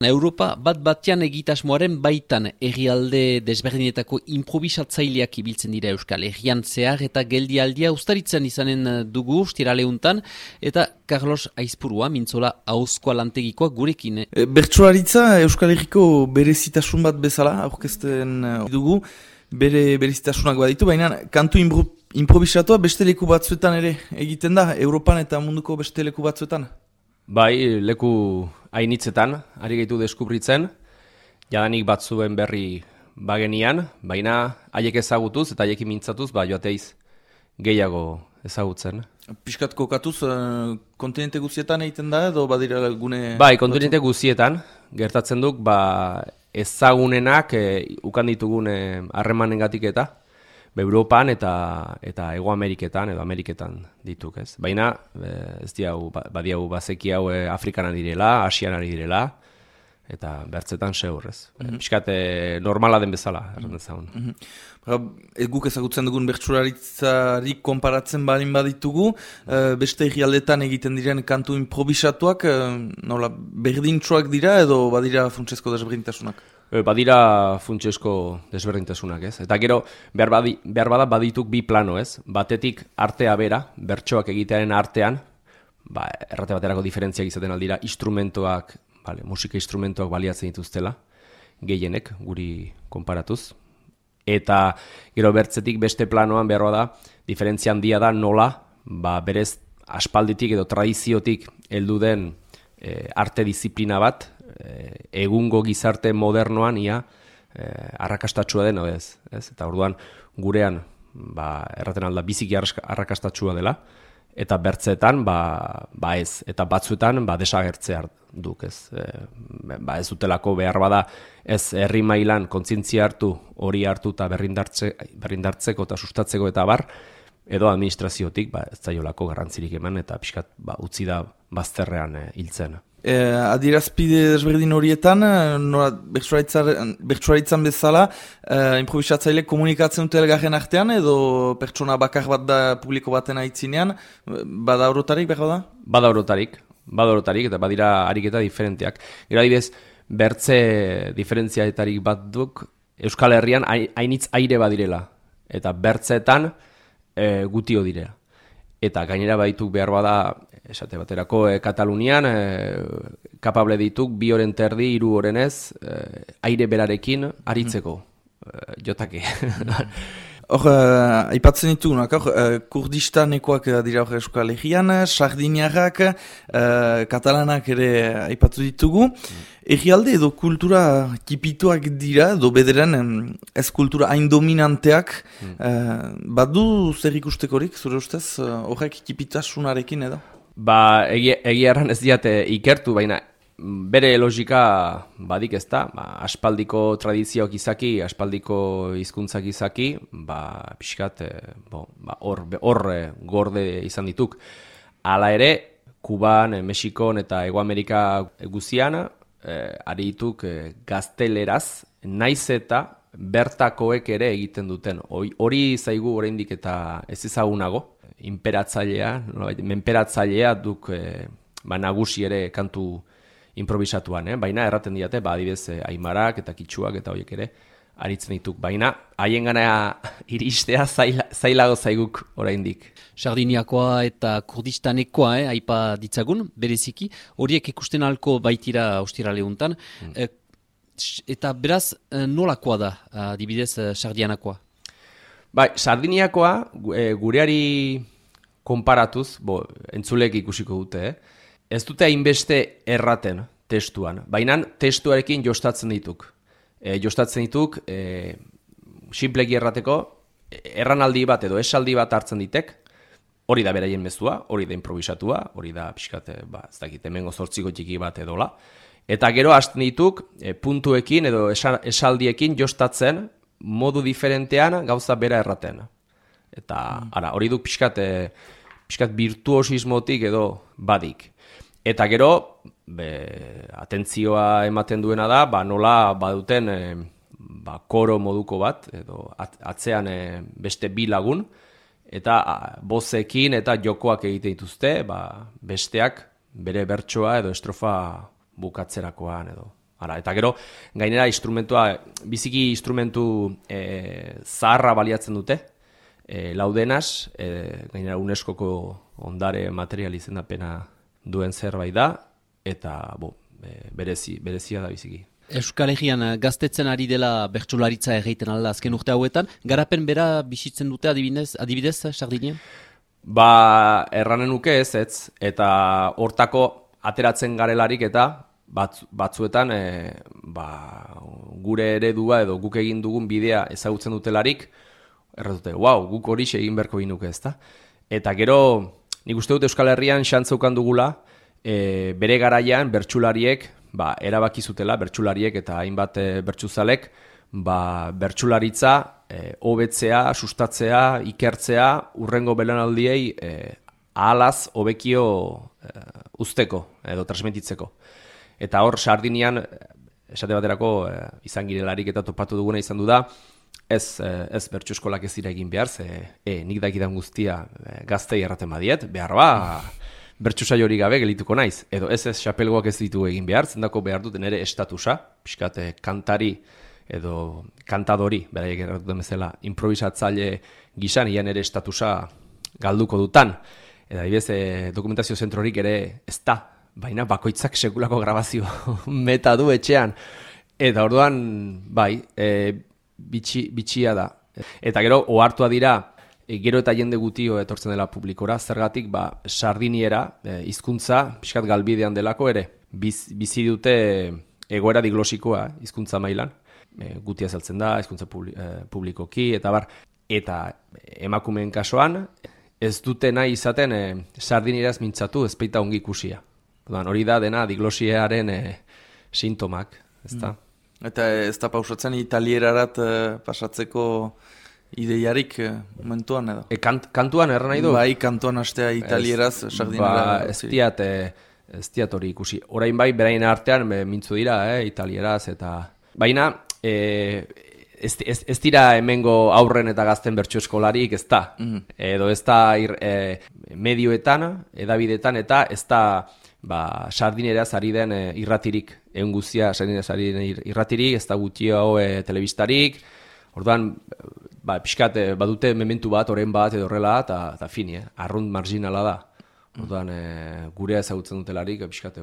Europa bat-batean egitasmoaren baitan herrialde desberdinetako improbisatzaileak ibiltzen dira Euskal Herrian zehar eta geldialdia ustaritzen izanen dugu ostiraleuntan eta Carlos Aizpurua mintzola ahozkoa lantegikoa gurekin. Bertsolaritza Euskal Herriko berezitasun bat bezala aurkezten dugu, berezitasunak baditu, baina kantu improbisatua beste leku batzuetan ere egiten da, Europan eta munduko beste leku batzuetan. Bai, leku hainitzetan, ari gaitu deskubritzen, jadanik batzuen berri bagenian, baina haiek ezagutuz eta haiekin mintzatuz, joateiz gehiago ezagutzen. Piskat kokatuz, kontinente guztietan egiten da edo badira gune... Bai, kontinente guztietan, gertatzen duk, ezagunenak ukan ditugun harremanengatik eta, Europan eta Hego Ameriketan edo Ameriketan dituk, ez. Baina ez diau badiau bazeki hau Afrikan direla, Asian direla eta bertzetan seur, ez. Piskat normala den bezala, erran dezagun. Guk ezagutzen dugun bertsolaritzarik konparatzen balin baditugu, beste herrialdetan egiten diren kantu improvisatuak, nola berdintsuak dira edo badira funtsezko desberdintasunak? Badira funtsesko desberdintasunak, ez? Eta gero, behar bada badituk bi plano, ez? Batetik artea bera, bertsoak egitearen artean, errate baterako diferentziak izaten aldira, instrumentoak, musika instrumentoak baliatzen dituztela, gehienek, guri konparatuz. Eta gero bertzetik beste planoan behar bada, diferentzia handia da nola, berez aspalditik edo tradiziotik heldu den arte disiplina bat, egungo gizarte modernoan arrakastatsua den, ez? Eta orduan gurean erraten alda biziki arrakastatsua dela, eta bertzeetan ez, eta batzuetan desagertzea duk, ez? Ez dutelako behar bada ez herri mailan kontzientzia hartu, hori hartu eta berrindartzeko eta sustatzeko eta edo administraziotik ez zaiolako garrantzirik eman eta pixkat utzi da bazterrean hiltzen. Adierazpide desberdin horietan, bertsolaritzan bezala, improvisatzaile komunikatzen dute elgarren artean, edo pertsona bakar bat da publiko baten aitzinean, bada orotarik, behar da? Bada orotarik, eta badira ariketa diferenteak. Gero adibidez, bertze diferentziaetarik bat duk, Euskal Herrian hainitz aire badirela, eta bertzeetan gutio direla. Eta gainera badituk behar bada, esate baterako Katalunian, kapable dituk 2 oren terdi, 3 orenez, aire berarekin aritzeko, jotake. Hor, aipatzen ditugunak, kurdistanekoak dira hor Euskal Herrian, sardiniarrak, katalanak ere aipatu ditugu. Herrialde edo kultura kipituak dira, edo bederen ez kultura hain dominanteak, badu zer ikustekorik, zure ustez, horrek kipitasunarekin edo? Egia erran ez diate ikertu, baina bere logika badik ez da, aspaldiko tradizioak izaki, aspaldiko hizkuntzak izaki, pixkat, hor gorde izan dituk. Hala ere, Kuban, Mexikon eta Hego Amerika guzian, ari dituk gazteleraz, naiz eta bertakoek ere egiten duten. Hori zaigu oraindik eta ez ezagunago, menperatzailea duk nagusi ere kantu improvisatuan, baina erraten diate, adibidez aimarak eta kitxuak eta horiek ere aritzen dituk, baina haien gana iristea zailago zaiguk oraindik. Sardiniakoa eta kurdistanekoa aipa ditzagun, bereziki, horiek ikusten halko baitira ostiraleuntan, eta beraz nolakoa da, adibidez sardianakoa? Sardiniakoa gureari konparatuz, entzulek ikusiko dute, ez dute hainbeste erraten testuan, baina testuarekin jostatzen dituk. Jostatzen dituk, sinpleki errateko, erranaldi bat edo esaldi bat hartzen ditek, hori da beraien mezua, hori da improvisatua, hori da pixkat, ez dakit, hemengo 8 txiki bat edola, eta gero hasten dituk puntuekin edo esaldiekin jostatzen modu diferentean gauza bera erraten. Eta hori duk pixkat virtuosismotik edo badik. Eta gero, atentzioa ematen duena da, nola baduten koro moduko bat, edo atzean beste 2 lagun, eta bozekin eta jokoak egiten dituzte, besteak bere bertsoa edo estrofa bukatzerakoan edo Eta gero, gainera biziki instrumentu zaharra baliatzen dute, laudenaz, gainera UNESCOko ondare material izendapena duen zerbait da, eta berezia da biziki. Euskal Herrian gaztetzen ari dela bertsolaritza egiten alda azken urte hauetan, garapen bera bizitzen dute adibidez Sardinian? Erranen nuke ez, eta hortako ateratzen garelarik eta batzuetan gure eredua edo guk egin dugun bidea ezagutzen dutelarik, erratute, guk hori egin beharko ginuke ezta. Eta gero, nik uste dut Euskal Herrian xantzaukan dugula, bere garaian bertsulariek erabaki zutela, bertsulariek eta hainbat bertsuzalek, bertsularitza hobetzea, sustatzea, ikertzea, urrengo belaunaldiei ahalaz hobekio uzteko edo transmititzeko. Eta hor Sardinian, esate baterako izan girelarik eta topatu duguna izan du da, ez bertsu eskolak ez dira egin behar, nik dakidan guztia gaztei erraten badiet, behar bertsu saio hori gabe gelituko naiz. Edo ez xapelgoak ez ditu egin behar, zendako behar duten ere estatusa, pixkat kantari edo kantadori, beraiek erratuten bezala, improvisatzaile gizan, ian ere estatusa galduko dutan. Eta adibidez, dokumentazio zentrorik ere ez da, baina bakoitzak sekulako grabazio meta du etxean. Eta orduan, bitxia da. Eta gero, ohartua dira, gero eta jende gutio etortzen dela publikora, zergatik, sardiniera, hizkuntza pixkat galbidean delako ere, bizi dute egoera diglosikoa hizkuntza mailan, gutia saltzen da, hizkuntza publikoki, eta emakumeen kasuan, ez dute nahi izaten sardinieraz mintzatu, ez baita ongi ikusia. Hori da dena diglosiaren sintomak, ezta? Eta ez da pausatzen italierarat pasatzeko ideiarik momentuan edo? Kantuan erran nahi du? Kantuan hastea italieraz sardinera. Ez diat hori ikusi. Orain beraien artean mintzu dira, italieraz eta... Baina, ez dira hemengo aurren eta gazten bertso eskolarik, ez da. Edo ez da medioetan, edabidetan, eta ez da sardineraz ari den irratirik, egun guztia sardineraz ari den irratirik, ez da gutxio telebistarik, orduan, pixkat badute mementu bat, oren bat edo horrela, eta fini, arrunt marginala da. Orduan, gurea ezagutzen dutelarik, pixkat,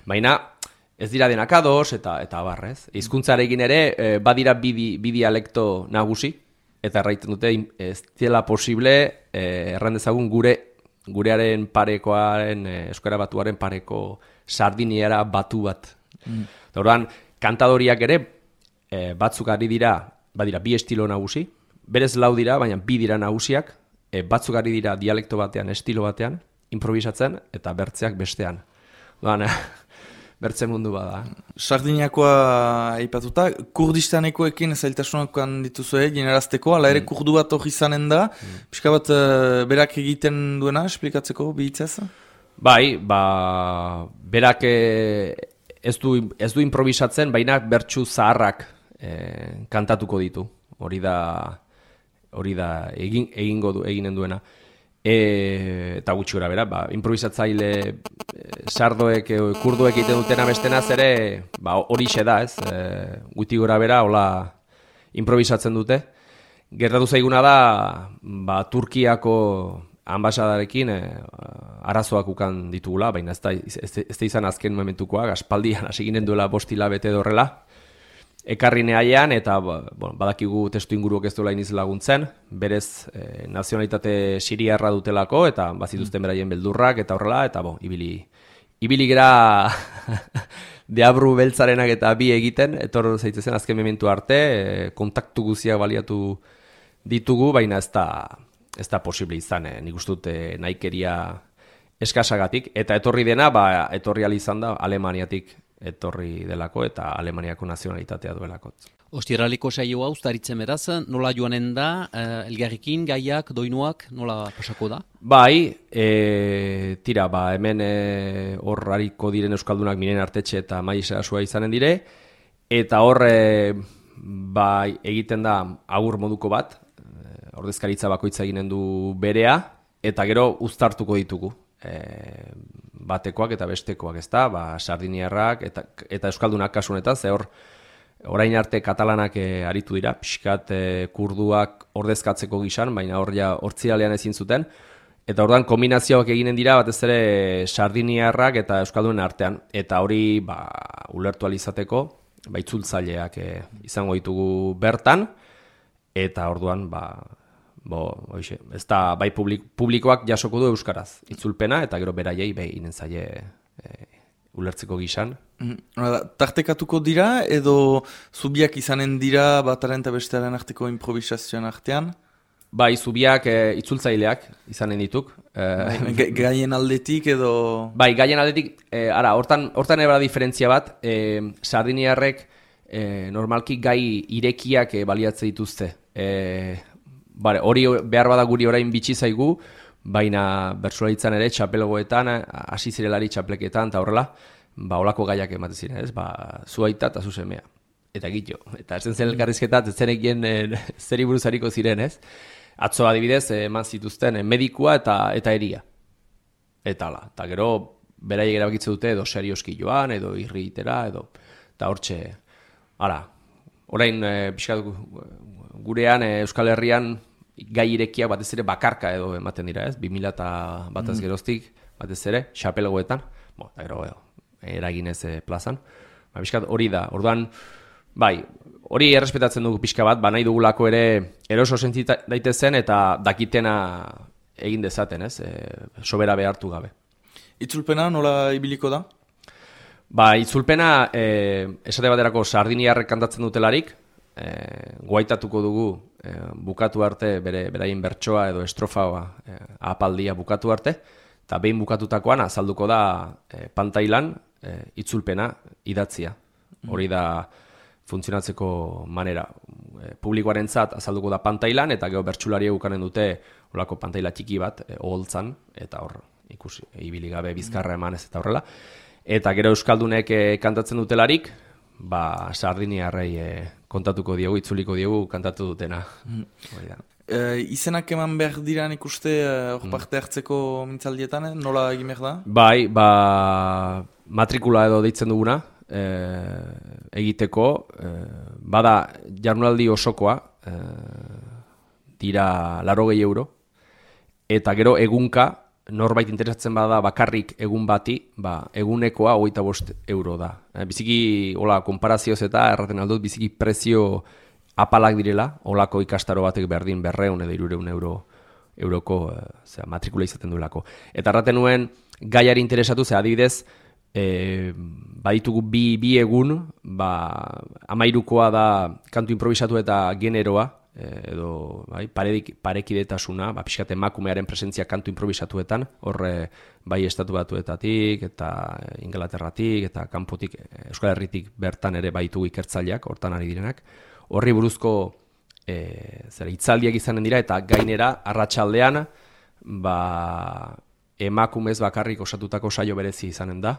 Baina, ez dira denak ados, eta barrez. Hizkuntzarekin ere, badira bi dialekto nagusi, eta erraiten dute, ez dela posible, erran dezagun gurearen parekoaren, euskara batuaren pareko sardiniera batu bat. Orduan, kantadoriak ere, batzuk ari dira, badira bi estilo nagusi, berez lau dira, baina bi dira nagusiak, batzuk ari dira dialekto batean, estilo batean, improvisatzen, eta bertzeak bestean. Orduan, bertze mundu bada. Sardiniakoa aipatuta, kurdistanekoekin zailtasunakoan dituzue, generazteko, ala ere kurdu bat hori izanen da, pixka bat berak egiten duena, esplikatzeko, bihitzaz? Berak ez du improvisatzen, baina bertsu zaharrak kantatuko ditu. Hori da eginen duena. Eta gutxi gora bera, improvisatzaile sardoek, kurduek egiten dutena bestenaz ere, horixe da, ez? Gutxi gora bera, hola improvisatzen dute. Gertatu zaiguna da, Turkiako ambasadarekin arazoak ukan ditugula, baina ez da izan azken momentukoa, aspaldian hasi ginen duela 5 hilabete edo horrela. Ekarri neaian, eta badakigu testu inguruak ez duela iniz laguntzen, berez nazionalitate siriarra dutelako, eta bazituzten beraien beldurrak, eta horrela, eta ibili gera deabru beltzarenak eta bi egiten, etor zaitezen azken mementu arte, kontaktu guziak baliatu ditugu, baina ez da posible izan, nik uste dut nahikeria eskasagatik, eta etorri dena, etorri izan da Alemaniatik etorri delako eta Alemaniako nazionalitatea duelako. Ostiraliko saioa ustaritzen beraz, nola joanen da, elgarrikin, gaiak, doinuak, nola pasako da? Tira, hemen hor hariko diren euskaldunak Miren Artetxe eta Maisa Asua izanen dire, eta hor egiten da agur moduko bat, ordezkaritza bakoitza eginen du berea, eta gero uztartuko ditugu. batekoak eta bestekoak, ezta? Sardiniarrak eta euskaldunak kasu honetan, ze orain arte katalanak aritu dira, pixkat kurduak ordezkatzeko gisan, baina hortzialean ezin zuten. Eta orduan kombinazioak eginen dira batez ere sardiniarrak eta euskaldunen artean. Eta hori ulertu alizateko, itzultzaileak izango ditugu bertan, eta orduan ez da bai publikoak jasoko du euskaraz itzulpena, eta gero beraiei behinen zaie ulertzeko gisan. Tartekatuko dira edo zubiak izanen dira bataren eta bestearen arteko improvisazioan artean? Bai, zubiak itzultzaileak izanen dituk. Gaien aldetik edo... Bai, gaien aldetik, hortan ebara diferentzia bat, sardiniarrek normalki gai irekiak baliatze dituzte. Hori behar bada guri orain bitxi zaigu, baina bertsolaritzan ere txapelgoetan, hasi zirelari txapleketan, eta horrela, olako gaiak ematen ziren, ez? Zu aita eta zu semea. Eta egitio. Eta ez zen elkarrizketat, ez zen egin zeri buruzariko ziren, ez? Atzo adibidez, eman zituzten medikua eta eria. Eta hala. Eta gero, beraiek erabakitze dute edo serioski joan, edo irri itera, edo... Eta hortxe, hala. Orain, pixkat gurean, Euskal Herrian, gai irekiak batez ere bakarka edo ematen dira, ez? 2000 bataz geroztik, batez ere, xapelgoetan. Eta gero, eraginez plazan. Pixkat hori da. Orduan, bai, hori errespetatzen dugu pixka bat, nahi dugulako ere eroso senti daitezen eta dakitena egin dezaten, ez? Sobera behartu gabe. Itzulpena nola ibiliko da? Itzulpena, esate baterako sardiniarrek kantatzen dutelarik, guaitatuko dugu bukatu arte beraien bertsoa edo estrofa apaldia bukatu arte, eta behin bukatutakoan azalduko da pantailan itzulpena idatzia. Hori da funtzionatzeko manera. Publikoarentzat azalduko da pantailan, eta gero bertsulari eukanen dute olako pantaila txiki bat, oholtzan, eta hor ikusi, ibili gabe bizkarra emanez eta horrela. Eta gero euskaldunek kantatzen dutelarik, sardiniarrei kontatuko diogu, itzuliko diogu kantatu dutena. Izenak eman behar diran ikuste hor parte hartzeko mintzaldietan, nola egin behar da? Bai, matrikula edo deitzen duguna, egiteko, bada jardunaldi osokoa, dira 80 euro, eta gero egunka, norbait interesatzen bada bakarrik egun bati, egunekoa 25 euro da. Biziki, konparazioz eta erraten aldut, biziki prezio apalak direla, olako ikastaro batek berdin 200 edo 300 euroko matrikula izaten duelako. Eta erraten nuen, gaiari interesatu, adibidez, baditugu bi egun, 13koa da kantu improvisatu eta generoa, edo parekidetasuna, pixkat emakumearen presentzia kantu improvisatuetan, horre bai estatu batuetatik, eta Inglaterratik, eta kanpotik, Euskal Herritik bertan ere baitugu ikertzaileak, hortan ari direnak. Horri buruzko hitzaldiak izanen dira, eta gainera, arratsaldean, emakumez bakarrik osatutako saio berezi izanen da,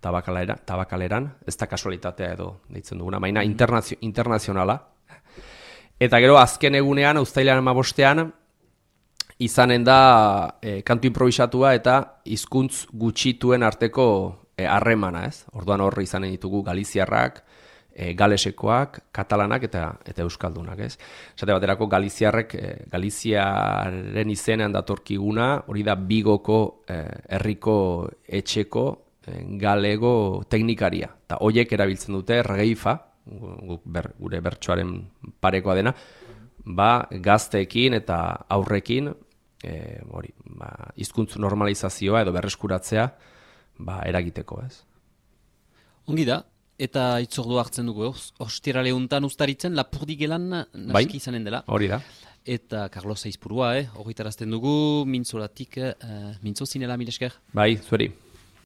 tabakaleran, ez da kasualitatea edo deitzen duguna, baina internazionala. Eta gero azken egunean, uztailaren 15ean, izanen da kantu improvisatua eta hizkuntz gutxituen arteko harremana, ez? Orduan horri izanen ditugu galiziarrak, galesekoak, katalanak eta euskaldunak, ez? Esate baterako Galiziaren izenean datorkiguna, hori da Bigoko herriko etxeko galego teknikaria. Eta horiek erabiltzen dute regeifa, gure bertsoaren parekoa dena, gazteekin eta aurrekin hizkuntz normalizazioa edo berreskuratzea eragiteko, ez? Ongi da, eta itzordua hartzen dugu, ostirale untan ustaritzen, Lapurdigelan naski izanen dela. Hori da. Eta Carlos Aizpurua, horretarazten dugu, mintzolatik, mintzo zinela, mil esker? Bai, zueri.